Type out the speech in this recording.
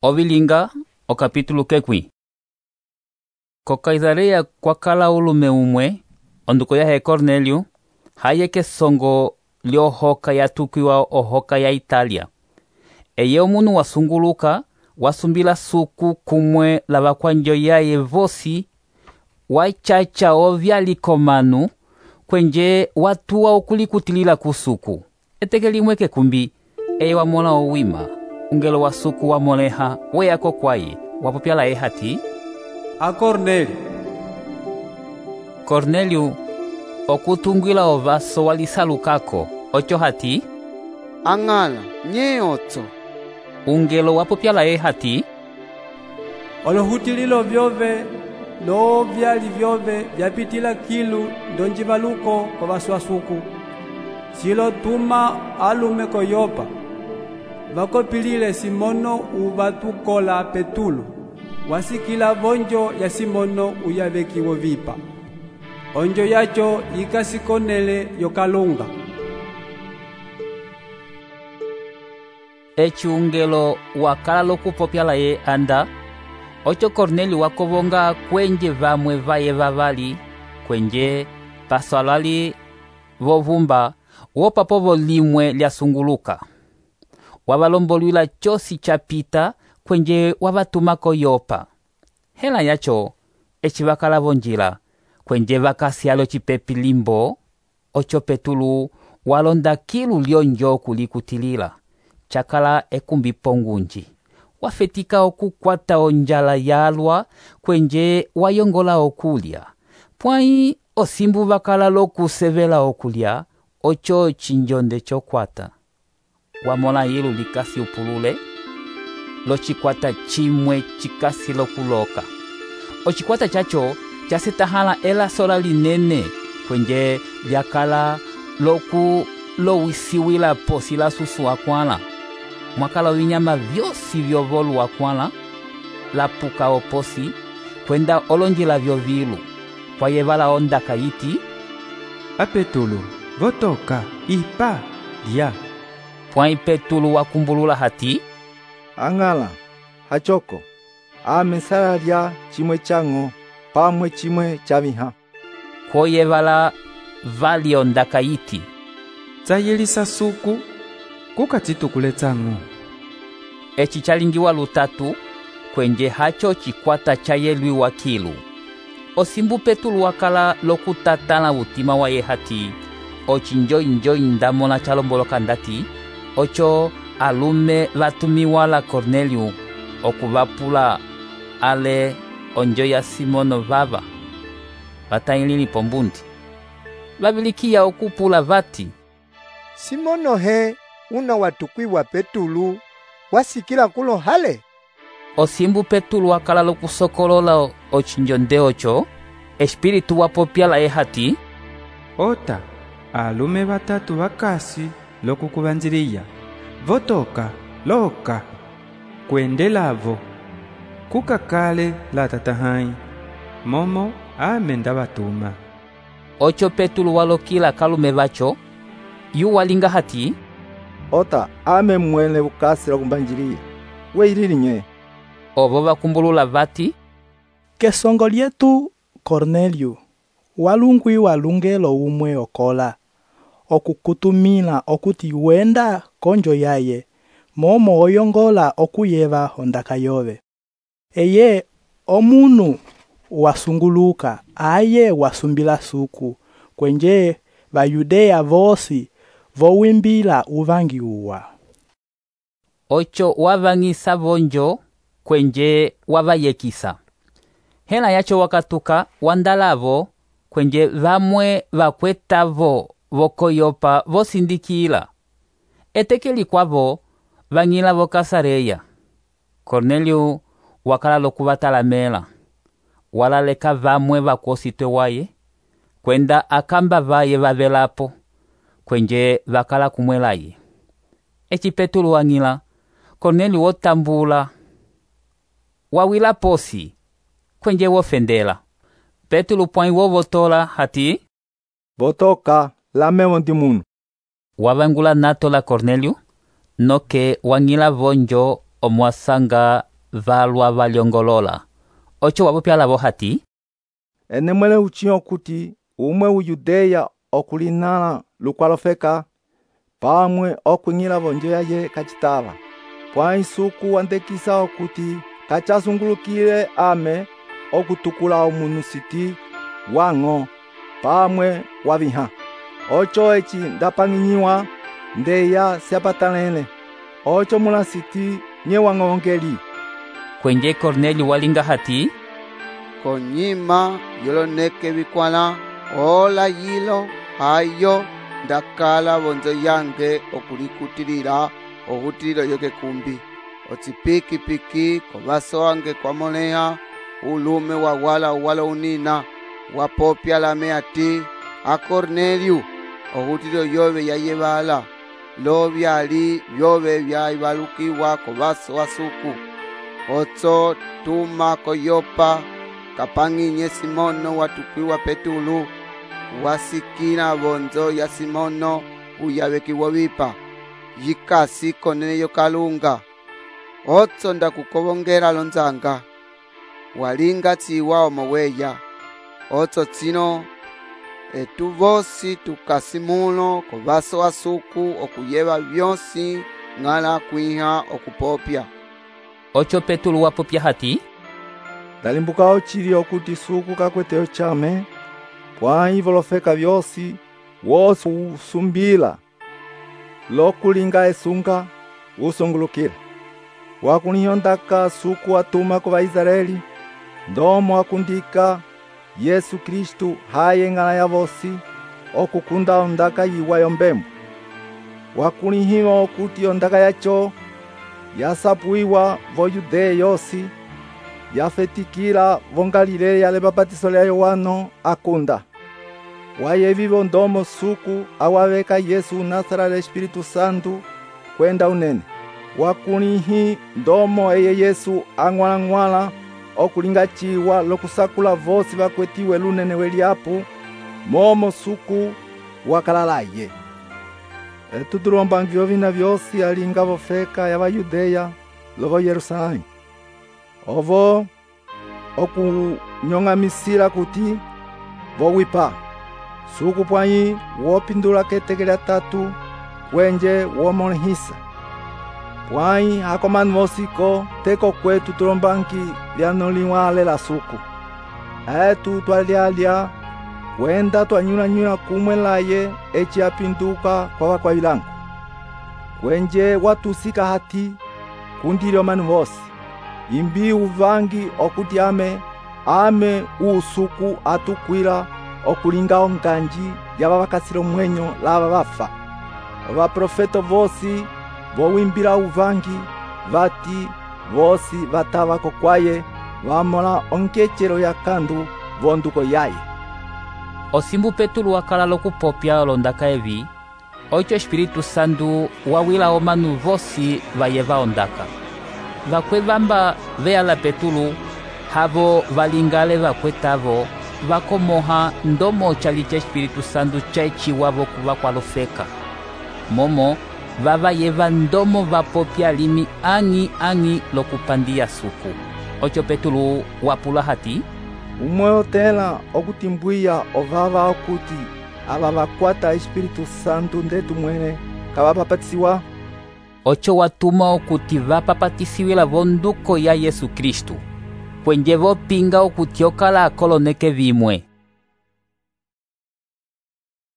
Ovilinga, o capítulo kekwi. Ko Caesarea kwakala ulume umwe, onduko yahe Cornélio, haye kesongo lyohoka yatukiwa ohoka ya Italia. Eye omunu wasunguluka, wasumbila suku kumwe lavakwanjo yaye vosi, wachacha ovyalikomanu, kwenje watuwa okulikutilila kusuku. Eteke limwe kekumbi, eye wamona owima. Ungelo wa suku wa moleha, weyako kwaye, wapopyala hati, a Cornélio. Cornélio, okutungwila ovaso walisalukako, ocho hati, ang'ala, nye otso. Ungelo wapopyala hati, Olohutililo vyove, lo vyali vyove, vyapitila kilu, ndonjivaluko kwa vaswasuku. Silo tuma alume koyopa. Vakopilile Simono uvatukola Petulu, wasikila vonjo ya Simono uyavekiwo vipa. Onjo yacho ikasikonele yokalunga. Echi ungelo wakala lokupopyala ye anda, ocho Cornélio wakovonga kwenje vamwe vaye vavali, kwenje paswalali vovumba, wopapovo limwe lyasunguluka. Wavalombolwila chosi chapita kwenje wavatumako Yopa. Hela yacho, echi vakala vonjila, kwenje vakasyalo chipepi limbo, ocho Petulu walonda kilu lyonjo kulikutilila. Chakala ekumbi pongunji. Wafetika okukwata onjala yalwa, kwenje wayongola okulya. Pwai osimbu vakala lokusevela okulya, ocho chinjonde chokwata. Wamona yilu likasi upulule, lo chikwata chimwe chikasi lokuloka. O chikwata chacho, chasetahala ela sola linene, kwenje vyakala lowisiwila posi la susu wakwala. Mwakala winyama vyosi vyovolu wakwala, la puka oposi, kwenda olonjila vyovilu. Kwa yevala onda kayiti, Apetulu, votoka, ipa, dia. Pwai Petulu wakumbulula hati, ang'ala, hachoko, amesala lya chimwe chango, pamwe chimwe chaviha. Kwa yevala vali onda kayiti, Zayelisa suku, kukatitukule tsangu. echi chalingiwa lutatu, kwenje hacho chikwata chayelwi wakilu. Osimbu Petulu wakala lokutatala utima wa ye hati, ochinjoi ndamona chalomboloka ndati, ocho alume vatumiwala Cornélio, okuvapula ale onjo ya Simono vava. Vatailili pombundi. Vavilikia okupula vati, Simono he, una watukwiwa Petulu, wasikila kulo hale. Osimbu Petulu wakala lokusokolola ochinjonde ocho, espiritu wapopyala hati, Ota, alume batatu bakasi lokukubanjiliya. Votoka, loka, kwendelavo. Kukakale la tatahai. Momo amenda batuma. ocho Petulu walokila kalume vacho, yu walinga hati, Ota, ame mwene ukasi la kumbanjiliya. Weilili nye. ovo vakumbulula vati, Kesongo lyetu Cornélio, walungwi walungelo umwe okola, okukutumila okuti wenda konjo yaye, momo oyongola okuyeva hondaka yove. Eye omunu wasunguluka, aye wasumbila suku, kwenje Bayudea vosi, vowimbila uvangi uwa. ocho wavangisa vonjo, kwenje wavayekisa. Hela yacho wakatuka wandalavo, kwenje vamwe vakwetavo vokoyopa vosindikila. Etekeli kwavo, vangila vokasareya. Cornélio wakala lokuvatalamela. Walaleka vamwe vakositwe waye, kwenda akamba vaye vavelapo, kwenje vakala kumwelaye. Echi Petulu wangila, Cornélio wotambula, wawila posi, kwenje wofendela. Petulu pwai wovotola hati, Votoka, lamewo ndimunu. wavangula nato la Cornélio, noke wangila vonjo omwasanga valwa valyongolola. Ocho wapopya lavo hati, ene mwele uchi okuti umwe uyudeya okulinala lukwalofeka pamwe okunyila vonjo yaye kacitava. Pwa isuku wandekisa okuti kachasungulukile ame okutukula omunu siti wang'o pamwe waviha. Ocho eci ndapang'inyiwa ndeya siapatalene. Ocho mula siti nye wang'ongeli. kwenje Kornelio walinga hati, Konyima yoloneke vikwala ola yilo hayo ndakala vonzo yange okulikutilila ohutililo yoke kumbi. Ocipiki-piki kovaso wange kwamoleha ulume wawala unina wapopya lame ati, a Kornelio ohutililo yove yayevala lo vyali vyove vyaivalukiwa kovaso wasuku. Otso tuma koyopa kapang'inye Simono watukwiwa Petulu wasikila vonzo ya Simono uyavekiwa vipa yikasi konene yokalunga. Otso ndakukovongela lonzanga walinga tsiwa omoweya. Otso tsino etu vosi tukasimulo kovaso wasuku okuyeva vyosi ng'ala kwiha okupopya. Ocho Petulu wapopya hati, Ndalimbuka ochili okuti suku kakwete ochame pwa ivolofeka vyosi wosi usumbila lokulinga esunga usungulukila. Wakunihondaka suku atuma ku Vaisraeli ndomo akundika Yesu Kristu haye ng'ala ya vosi okukunda ondaka yiwa yombembo. Wakunihiwa okuti ondaka yacho yasapuiwa vo Yudeya yosi yafetikila vo Galileya le bapatiso lya Yohano akunda. Wayevivo ndomo suku awaveka Yesu unasala le Espiritu Santu kwenda unene. Wakunihi ndomo eye Yesu ang'wala okulinga chiwa lokusakula vosi vakwetiwe lunene weliapu momo suku wakalalaye. Tutulomba ngivyo vina vyosi alinga vofeka ya Vayudeya lovo Yerusalemu. Ovo okunyong'amisila kuti vowipa suku pwayi wopindula ketekela tatu kwenje womolehisa. Pwayi akomanu vosiko teko kwetu tulombanki lyanoliwa lela suku. Etu twalyalya kwenda twanyula kumwe laye eci apinduka kwa wakwayilangu. Kwenje watusika hati kundile omanu vosi. Imbi uvangi okuti ame usuku atukwila okulinga onganji yava vakasila omwenyo lava vafa. Vaprofeto vosi vowimbila uvangi vati vosi vatava kokwaye vamola onkechelo ya kandu vonduko yaye. Osimbu Petulu wakala lokupopya olondaka evi, ocho Espiritu Santu wawila omanu vosi vayeva ondaka. Vakwevamba veyala Petulu havo valingale vakwetavo vakomoha ndomo chali cha Espiritu Santu chaechiwavo kuva kwalofeka. Momo vavayeva ndomo vapopya limi ang'i lokupandia suku. Ocho Petulu wapula hati, umwe otela okutimbwiya ovava okuti ava vakwata Espiritu Santu ndetu mwene kavapapatisiwa. Ocho watuma okuti vapapatisiwila vonduko ya Yesu Kristu. Kwenje vopinga okuti okala akoloneke vimwe.